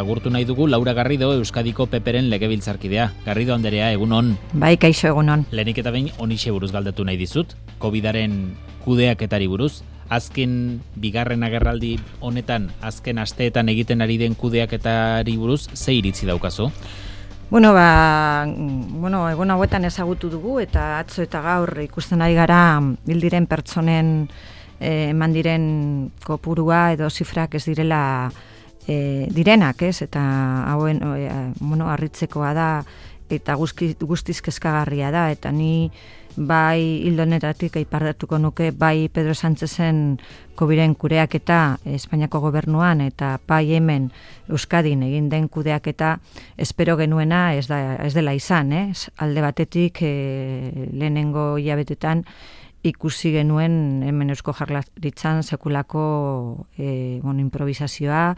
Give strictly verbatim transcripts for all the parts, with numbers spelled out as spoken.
Agurtu nahi dugu Laura Garrido, Euskadiko Peperen legebiltzarkidea. Garrido anderea, egun on. Bai, kaixo egun on. Lehenik eta behin honixe buruz galdetu nahi dizut. Covidaren kudeaketari buruz. Azken bigarren agerraldi honetan, azken asteetan egiten ari den kudeaketari buruz, ze iritzi daukazu? Bueno, ba, bueno, egun hauetan ezagutu dugu eta atzo eta gaur ikusten ari gara hil diren pertsonen eh, eman diren kopurua edo zifrak ez direla e, direnak, ez? Eta hauen e, bueno, harritzekoa da eta guzti, guztiz kezkagarria da eta ni bai hildonetatik aipardatuko nuke bai Pedro Sánchezen Coviren kudeaketa Espainiako gobernuan eta bai hemen Euskadin egin den kudeaketa espero genuena ez da ez dela izan, eh? Alde batetik e, lehenengo hilabetetan ikusi genuen hemen Eusko Jaurlaritzan sekulako e, bueno, improvisazioa,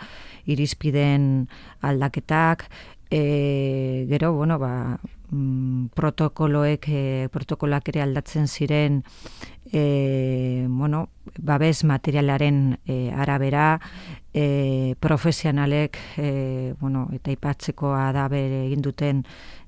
irizpideen aldaketak, e, gero, bueno, ba, mm, protokoloek, e, protokoloak ere aldatzen ziren, e, bueno, babes materialaren e, arabera, e, profesionalek, e, bueno, eta ipatzekoa da bere egin duten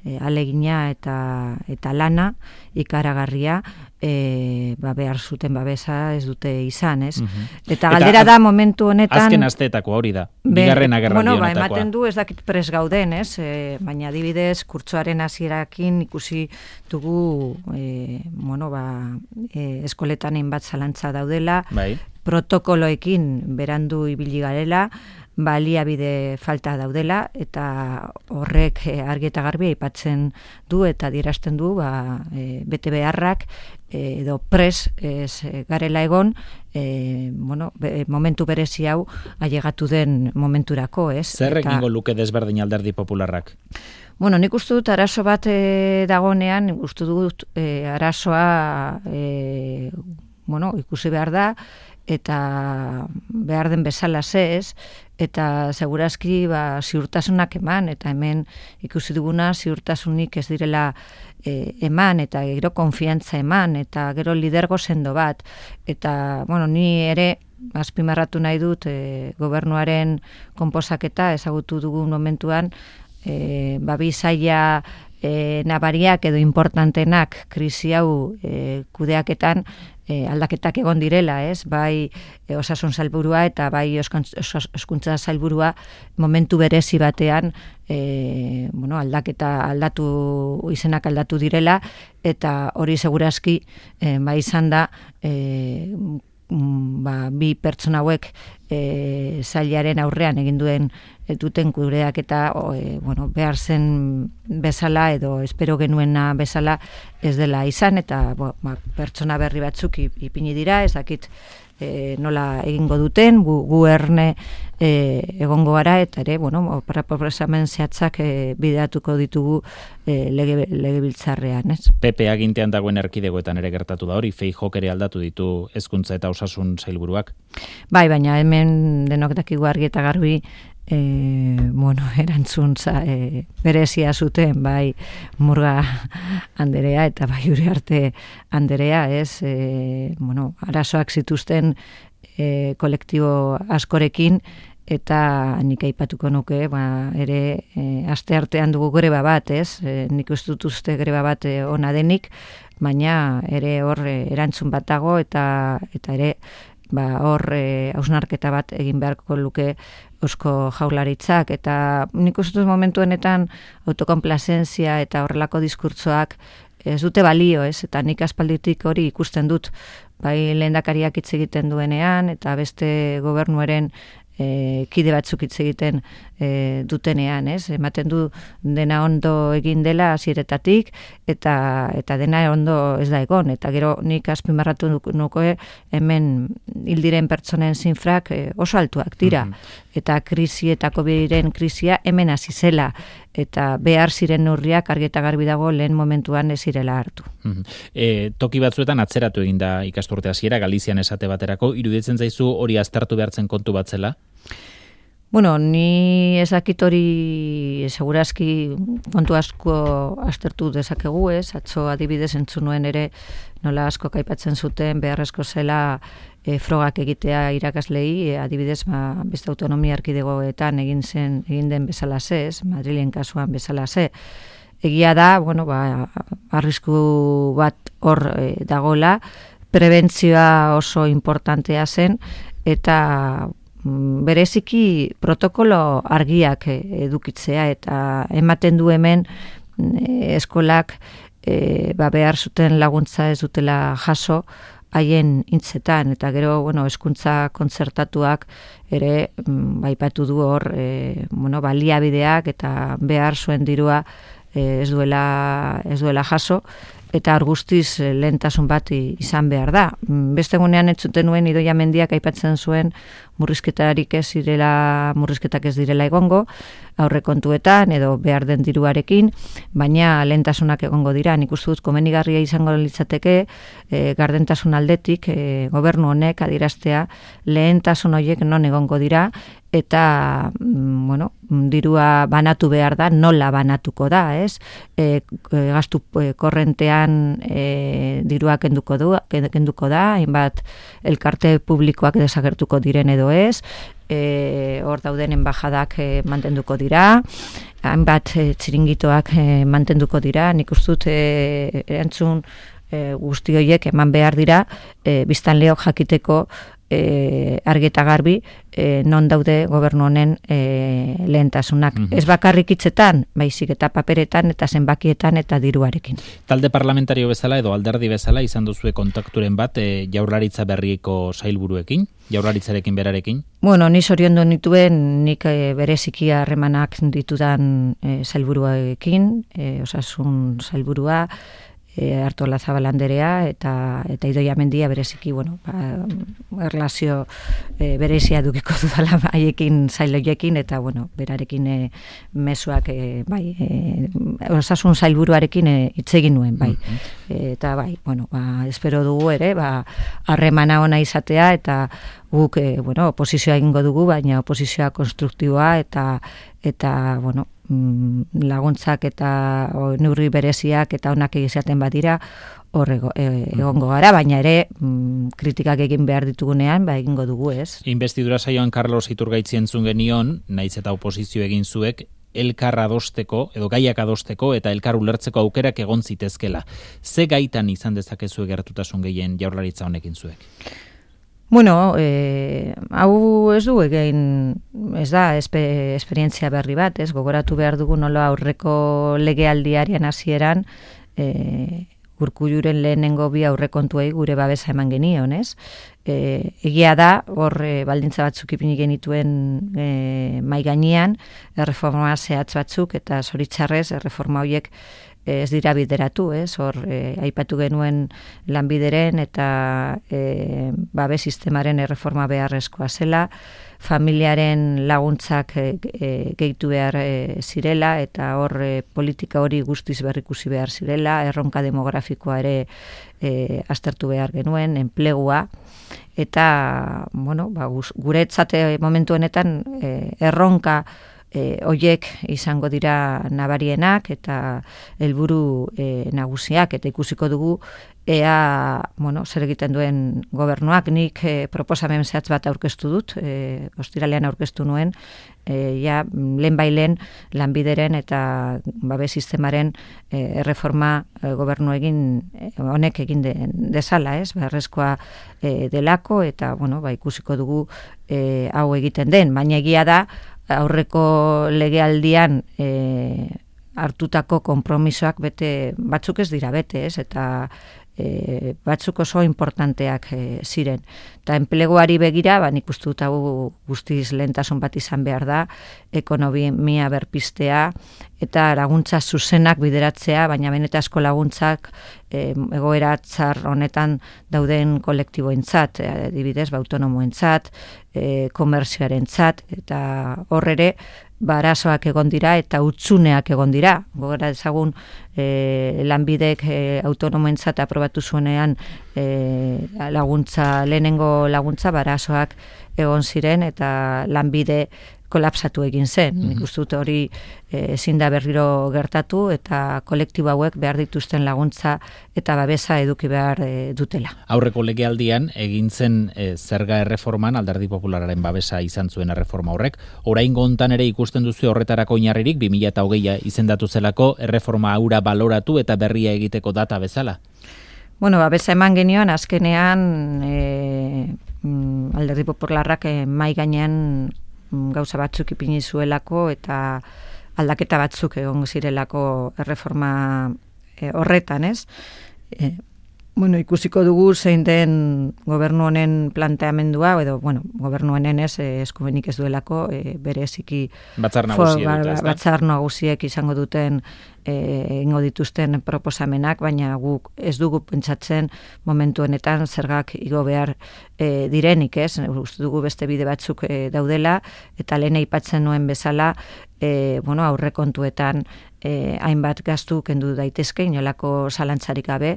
e, alegina eta, eta lana, ikaragarria, e, ba, behar zuten babesa ez dute izan, ez? Uh-huh. Eta galdera eta da momentu honetan... Azken asteetako hori da, bigarren agerraldi bueno, honetakoa. Ba, ematen du ez dakit pres gauden, ez? E, baina adibidez, kurtsoaren hasierakin ikusi dugu, e, bueno, ba, e, eskoletan hainbat zalantza daudela, bai. Protokoloekin berandu ibili garela, baliabide falta daudela eta horrek argi eta garbi aipatzen du eta adierazten du ba, e, bete beharrak e, edo pres ez garela egon e, bueno, be, momentu berezi hau ailegatu den momenturako, ez? Zer egingo luke desberdin Alderdi Popularrak? Bueno, nik uste dut arazo bat e, dagonean, uste dut e, arazoa e, bueno, ikusi behar da eta behar den bezala ez, eta segurazki ba, ziurtasunak eman, eta hemen ikusi duguna ziurtasunik ez direla e, eman, eta gero konfiantza eman, eta gero lidergo sendo bat, eta bueno, ni ere azpimarratu nahi dut e, gobernuaren konposaketa ezagutu dugun momentuan, e, babi zaila e, nabariak edo importantenak krisi hau e, kudeaketan E, aldaketak egon direla, ez? Bai e, osasun sailburua eta bai hezkuntza sailburua momentu berezi batean e, bueno, aldaketa aldatu izenak aldatu direla eta hori segurazki e, bai izan da e, ba, bi pertsona hauek e, sailaren aurrean egin duen e, duten kudeak eta e, bueno, behar zen bezala edo espero genuena bezala ez dela izan eta bo, ba, pertsona berri batzuk ipini dira, ez dakit e, nola egingo duten, gu, gu erne e, egongo gara eta ere, bueno, proposamen zehatzak e, bideatuko ditugu e, lege, legebiltzarrean, ez? P P agintean dagoen erkidegoetan ere gertatu da hori, Feijóok ere aldatu ditu hezkuntza eta osasun sailburuak. Bai, baina hemen denok dakigu argi eta garbi E, bueno, erantzun za, e, berezia zuten bai Murga anderea eta bai Uriarte anderea, ez, e, bueno, arazoak zituzten e, kolektibo askorekin eta nik aipatuko nuke, ba, ere e, aste artean dugu greba bat, ez, e, nik uste dut uste greba bat e, ona denik, baina ere hor e, erantzun bat dago eta, eta ere ba, hor e, hausnarketa bat egin beharko luke Eusko Jaurlaritzak eta nik uste dut momentu honetan autokonplazentzia eta horrelako diskurtsoak ez dute balio, ez? Eta nik aspalditik hori ikusten dut bai lehendakariak hitz egiten duenean eta beste gobernuaren e, kide batzuk hitz egiten e, dutenean, ez? Ematen du dena ondo egin dela hasieretatik eta eta dena ondo ez da egon eta gero nik azpimarratu nuke hemen hil diren pertsonen zifrak e, oso altuak dira. Mm-hmm. Eta krisi eta Coviren krisia hemen hasi zela eta behar ziren neurriak argi eta garbi dago lehen momentuan ez zirela hartu. Mm-hmm. E, toki batzuetan atzeratu egin da ikasturte hasiera Galizian esate baterako, iruditzen zaizu hori aztertu behartzen kontu bat zela? Bueno, ni ez dakit hori segurazki kontu asko aztertu dezakegu, ez? Atzo adibidez entzun nuen ere nola asko aipatzen zuten beharrezko zela e, frogak egitea irakaslei, e, adibidez, ba, beste autonomia erkidegoetan egin zen egin den bezalaze, ez, Madrilen kasuan bezalaze. Egia da, bueno, ba, arrisku bat hor e, dagola, prebentzioa oso importantea zen, eta bereziki protokolo argiak edukitzea, eta ematen du hemen e, eskolak e, ba, behar zuten laguntza ez dutela jaso haien hitzetan, eta gero, bueno, hezkuntza kontzertatuak ere baipatu du hor e, bueno, baliabideak eta behar zuen dirua e, ez duela ez duela jaso, eta hor guztiz lehentasun bat izan behar da. Beste egunean entzuten nuen Idoia Mendiak aipatzen zuen murrizketarik ez direla, murrizketak ez direla egongo, aurrekontuetan edo behar den diruarekin, baina lehentasunak egongo dira. Nik uste dut komenigarria izango litzateke e, gardentasun aldetik e, gobernu honek adieraztea lehentasun horiek non egongo dira, eta bueno, dirua banatu behar da, nola banatuko da, ez? E, gastu korrentean e, dirua kenduko, du, kenduko da, hainbat elkarte publikoak desagertuko diren edo ez, e, hor dauden enbajadak e, mantenduko dira, hainbat e, txiringitoak e, mantenduko dira, nik uste dut e, erantzun e, guzti horiek eman behar dira, e, biztanleok jakiteko E, argi eta garbi e, non daude gobernu honen e, lehentasunak. Mm-hmm. Ez bakarrik hitzetan, baizik eta paperetan eta zenbakietan eta diruarekin. Talde parlamentario bezala edo alderdi bezala izan duzue kontakturen bat e, jaurlaritza berriko sailburuekin, jaurlaritzarekin berarekin? Bueno, ni zoriondu nituen nik e, bereziki harremanak ditudan e, sailburuekin, e, osasun sailburua, E, Artola Zabalanderea eta eta Idoia Mendia bereziki, bueno, ba, erlazio e, berezia dukiko dudala haiekin sailoiekin, eta bueno, berarekin e, mezuak e, bai, e, osasun sailburuarekin hitz egin nuen, bai. E, eta bai, bueno, ba, espero dugu ere, ba, harremana ona izatea, eta guk e, bueno, oposizioa egingo dugu, baina oposizioa konstruktiboa eta eta bueno, laguntzak eta o, neurri bereziak eta onak izaten badira hor ego, e, egongo gara, baina ere mm, kritikak egin behar ditugunean ba egingo dugu, ez? Investidura saioan Carlos Iturgaitzi entzun genion, naiz eta oposizio egin zuek, elkar adosteko edo gaiak adosteko eta elkar ulertzeko aukerak egon zitezkela. Ze gaitan izan dezakezu gertutasun gehien jaurlaritza honekin zuek? Bueno, eh, hau ez du egin, ez da, espe, esperientzia berri bat, ez, gogoratu behar dugu nola aurreko legealdiaren hasieran, eh, Urkulluren lehenengo bi aurrekontuei gure babesa eman genion, ez? E, egia da, hor e, baldintza batzuk ipini genituen e, mai gainean, erreforma zehatz batzuk, eta zoritxarrez, erreforma horiek ez dira bideratu, ez? Hor, e, aipatu genuen lanbideren eta e, babes sistemaren erreforma beharrezkoa zela, familiaren laguntzak e, e, gehitu behar e, zirela, eta hor e, politika hori guztiz berrikusi behar zirela, erronka demografikoa ere e, aztertu behar genuen, enplegua, eta bueno, ba, guretzate momentu honetan e, erronka E, oiek izango dira nabarienak eta helburu e, nagusiak, eta ikusiko dugu ea, bueno, zer egiten duen gobernuak. Nik e, proposamen zehatz bat aurkeztu dut, e, ostiralean aurkeztu nuen, e, ja, lehen bailen lanbideren eta babes sistemaren e, erreforma e, gobernu egin e, honek egin de, dezala, ez, beharrezkoa e, delako, eta bueno, ba, ikusiko dugu e, hau egiten den, baina egia da, aurreko legealdian e, hartutako konpromisoak bete, batzuk ez dira bete, ez, eta e, batzuk oso importanteak e, ziren. Eta enpleguari begira, ba, nik uste dut hau guztiz lehentasun bat izan behar da, ekonomia berpistea, eta laguntza zuzenak bideratzea, baina benetazko laguntzak e, egoera txar honetan dauden kolektiboentzat, adibidez, ba, autonomoentzat, e, komerzioarentzat, eta hor ere, barazoak egon dira eta utzuneak egon dira. Gogora ezagun e, lanbidek e, autonomoentzat aprobatu zuenean e, laguntza, lehenengo laguntza barazoak egon ziren, eta lanbide kolapsatu egin zen. Nik uste dut hori ezin da berriro gertatu eta kolektibo hauek behar dituzten laguntza eta babesa eduki behar e, dutela. Aurreko legealdian egin zen e, zerga erreforman Alderdi Popularraren babesa izan zuen erreforma horrek. Oraingo hontan ere ikusten duzu horretarako oinarririk bi mila hogeia izendatu zelako erreforma hura baloratu eta berria egiteko data bezala. Bueno, babesa eman genioan azkenean e, Alderdi Popularrak e, mai gainean gauza batzuk ipini zuelako eta aldaketa batzuk egon zirelako erreforma e, horretan, ez? E, bueno, ikusiko dugu zein den gobernu honen planteamendua, edo, bueno, gobernu honen ez, e, eskumenik ez duelako, e, bereziki batzar nagusiek dute, ez da? Batzar nagusiek izango duten egingo dituzten proposamenak, baina guk ez dugu pentsatzen momentu honetan zergak igo behar e, direnik, ez? Uste dugu beste bide batzuk e, daudela, eta lehen aipatzen nuen bezala, e, bueno, aurrekontuetan e, hainbat gastu kendu daitezke, inolako zalantzarik gabe,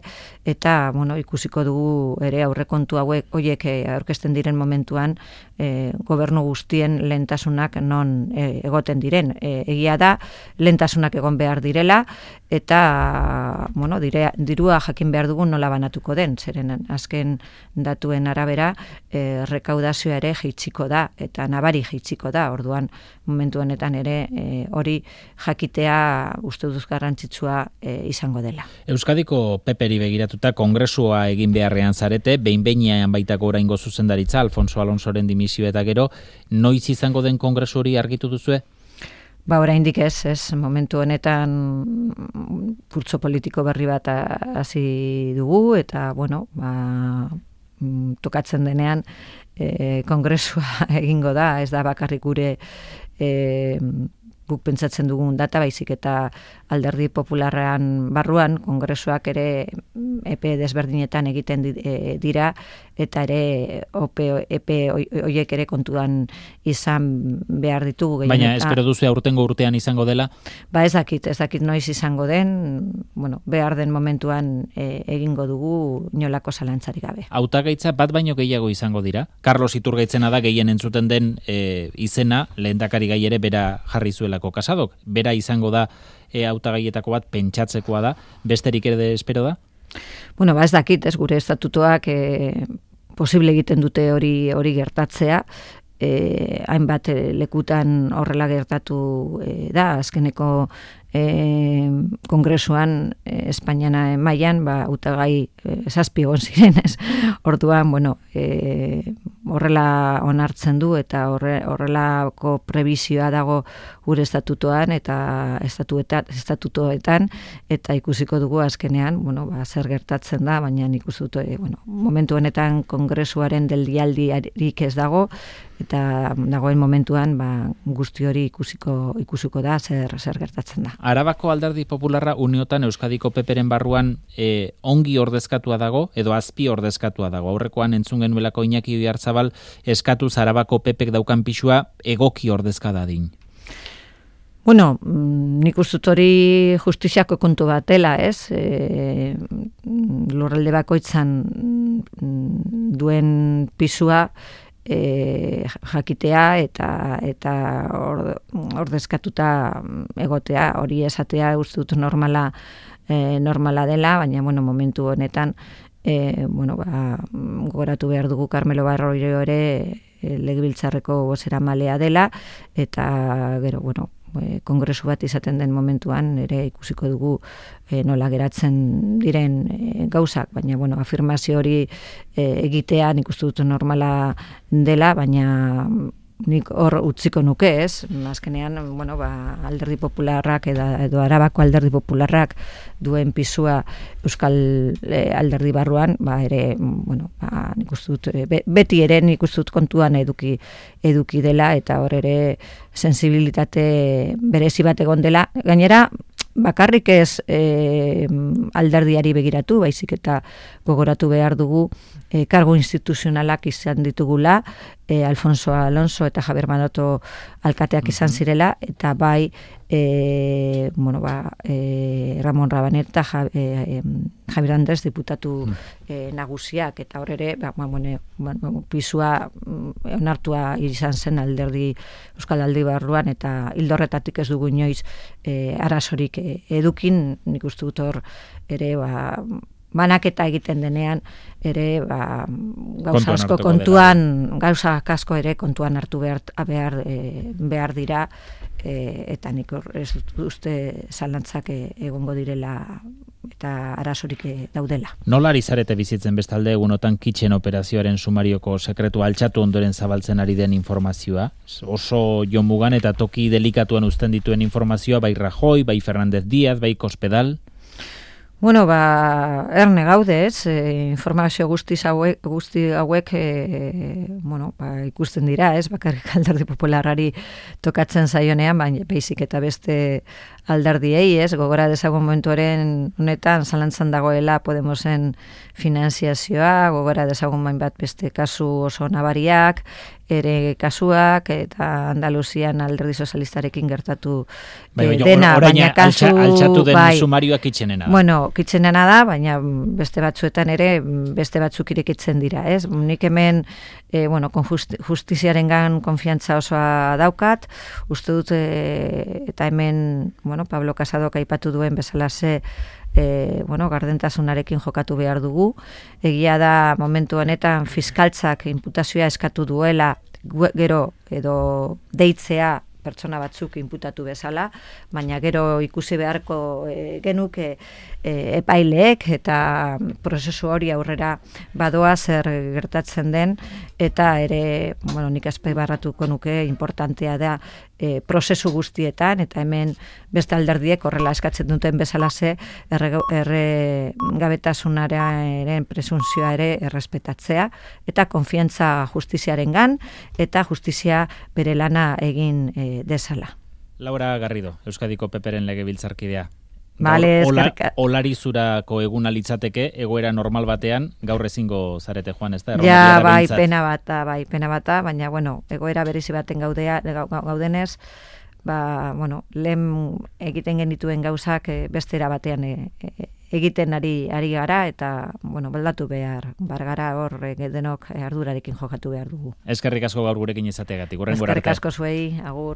eta bueno, ikusiko dugu ere aurrekontu hauek horiek e, aurkezten diren momentuan e, gobernu guztien lehentasunak non e, egoten diren. E, egia da, lehentasunak egon behar direla, eta bueno, dire, dirua jakin behar dugun nola banatuko den, zeren azken datuen arabera e, rekaudazioa ere jaitsiko da, eta nabari jaitsiko da, orduan momentu honetan ere e, hori jakitea uste duz garrantzitsua e, izango dela. Euskadiko P P ri begiratuta kongresua egin beharrean zarete, behin-behinean baitako oraingo zuzendaritza, Alfonso Alonsoren dimisio eta gero, noiz izango den kongresu hori argitu duzue? Ba, oraindik ez, ez, momentu honetan kurtso politiko berri bat hasi dugu, eta, bueno, ba, tokatzen denean e, kongresua egingo da, ez da bakarrik gure e, guk pentsatzen dugun data, baizik eta Alderdi Popularrean barruan, kongresuak ere epe desberdinetan egiten dira, eta ere epe horiek ere kontuan izan behar ditugu. Baina espero duzu aurtengo urtean izango dela? Ba ez dakit, ez dakit noiz izango den, bueno, behar den momentuan e, egingo dugu inolako zalantzarik gabe. Hautagaitza bat baino gehiago izango dira? Carlos Iturgaitzena da gehien entzuten den e, izena, lehendakari gai ere bera jarri zuelako Casadok. Bera izango da e, hautagaietako bat pentsatzekoa da, besterik ere espero da? Bueno, ba ez dakit, ez gure estatutuak e, posible egiten dute hori hori gertatzea, e, hainbat lekutan horrela gertatu e, da, azkeneko e, kongresuan e, Espainiana mailan ba hautagai e, zazpi egon ziren, ez. Orduan, bueno, e, horrela onartzen du eta horre, horrelako prebizioa dago gure estatutoan eta estatuetan, estatutoetan eta ikusiko dugu azkenean, bueno, ba, zer gertatzen da, baina ikusi dut, e, bueno, momentu honetan kongresuaren deldialdirik ez dago eta dagoen momentuan ba, guzti hori ikusiko ikusiko da zer zer gertatzen da. Arabako Alderdi Popularra uniotan Euskadiko P P ren barruan e, ongi ordezkatua dago edo azpi ordezkatua dago. Aurrekoan entzun genuelako Iñaki Oyarzabal eskatuz Arabako P Pek daukan pisua egoki ordezka dadin. Bueno, nik uste dut hori justiziako kontu bat dela, ez? E, lurralde bakoitzan duen pisua E, jakitea eta eta ordezkatuta egotea, hori esatea uste dut normala e, normala dela, baina bueno, momentu honetan e, bueno, ba, gogoratu behar dugu Carmelo Barroiro ere e, legebiltzarreko bozeramalea dela eta gero, bueno, e, kongresu bat izaten den momentuan ere ikusiko dugu e, nola geratzen diren e, gauzak, baina bueno, afirmazio hori e, egitea nik uste dut normala dela, baina nik hor utziko nuke, ez? Azkenean, bueno, ba, Alderdi Popularrak edo, edo Arabako Alderdi Popularrak duen pisua Euskal e, Alderdi barruan, ba, ere, bueno, ba, nik uste dut, be, beti ere nik uste dut kontuan eduki, eduki dela, eta hor ere sensibilitate berezi bat egon dela. Gainera, bakarrik ez e, alderdiari begiratu, baizik eta gogoratu behar dugu e, kargo instituzionalak izan ditugula, e, Alfonso Alonso eta Javier Maroto alkateak izan zirela, eta bai e, bueno, ba, e, Ramon Rabanet eta ja, e, Javier Andres diputatu e, nagusiak, eta hor ere ba, bueno, bueno, pisua onartua izan zen alderdi Euskal Aldi barruan, eta hildorretatik ez dugu inoiz e, arazorik e, edukin, nik uste dut hor ere ba, banaketa egiten denean ere ba, gauza asko kontuan, gauza asko ere kontuan hartu behar, behar, e, behar dira, e, eta nik hor ez uste zalantzak egongo direla eta arazorik daudela. Nola ari zarete bizitzen bestalde egunotan kitchen operazioaren sumarioko sekretua altxatu ondoren zabaltzen ari den informazioa? Oso jomugan eta toki delikatuan uzten dituen informazioa, bai Rajoy, bai Fernández Díaz, bai Cospedal? Bueno, ba, erne gaude, ez, e, informazio guztiz hauek, guzti hauek, e, bueno, ba, ikusten dira, ez, bakarrik alderdi popularrari tokatzen zaionean, baina beizik eta beste alderdiei, ez, gogora dezagun momentuaren honetan, zalantzan dagoela Podemosen finanziazioa, gogora dezagun bain bat beste kasu oso nabariak, ere kasuak, eta Andaluzian alderdi sozialistarekin gertatu bai, bai, dena, or, baina kasu... altxatu den bai, sumarioak kitxenena da. Bueno, kitxenena da, baina beste batzuetan ere, beste batzuk irekitzen dira, ez? Nik hemen, e, bueno, justiziarengan konfiantza osoa daukat, uste dut, e, eta hemen, bueno, Pablo Casadok aipatu duen bezalaze, E, bueno, gardentasunarekin jokatu behar dugu. Egia da momentu honetan fiskaltzak inputazioa eskatu duela, gero edo deitzea pertsona batzuk inputatu bezala, baina gero ikusi beharko e, genuke e, epaileek eta prozesu hori aurrera badoa zer gertatzen den, eta ere, bueno, nik azpimarratuko nuke importantea da e, prozesu guztietan, eta hemen beste alderdiek horrela eskatzen duten bezalaze erregabetasunaren presuntzioa ere errespetatzea, eta konfiantza justiziarengan, eta justizia bere lana egin e, desala. Laura Garrido, Euskadiko Peperen legebiltzarkidea. Vale, Ola, olarizurako eguna litzateke, egoera normal batean, gaur ezingo zarete joan, ez da? Ja, bai, pena bata, bai, pena bata, baina, bueno, egoera berezi baten gaudea, gaudenez, ba, bueno, lehen egiten genituen gauzak bestera batean e, e, egiten ari ari gara, eta, bueno, baldatu behar, bargara hor denok ardurarekin jokatu behar dugu. Eskerrik asko gaur gurekin izateagatik. Eskerrik asko zuei, agur.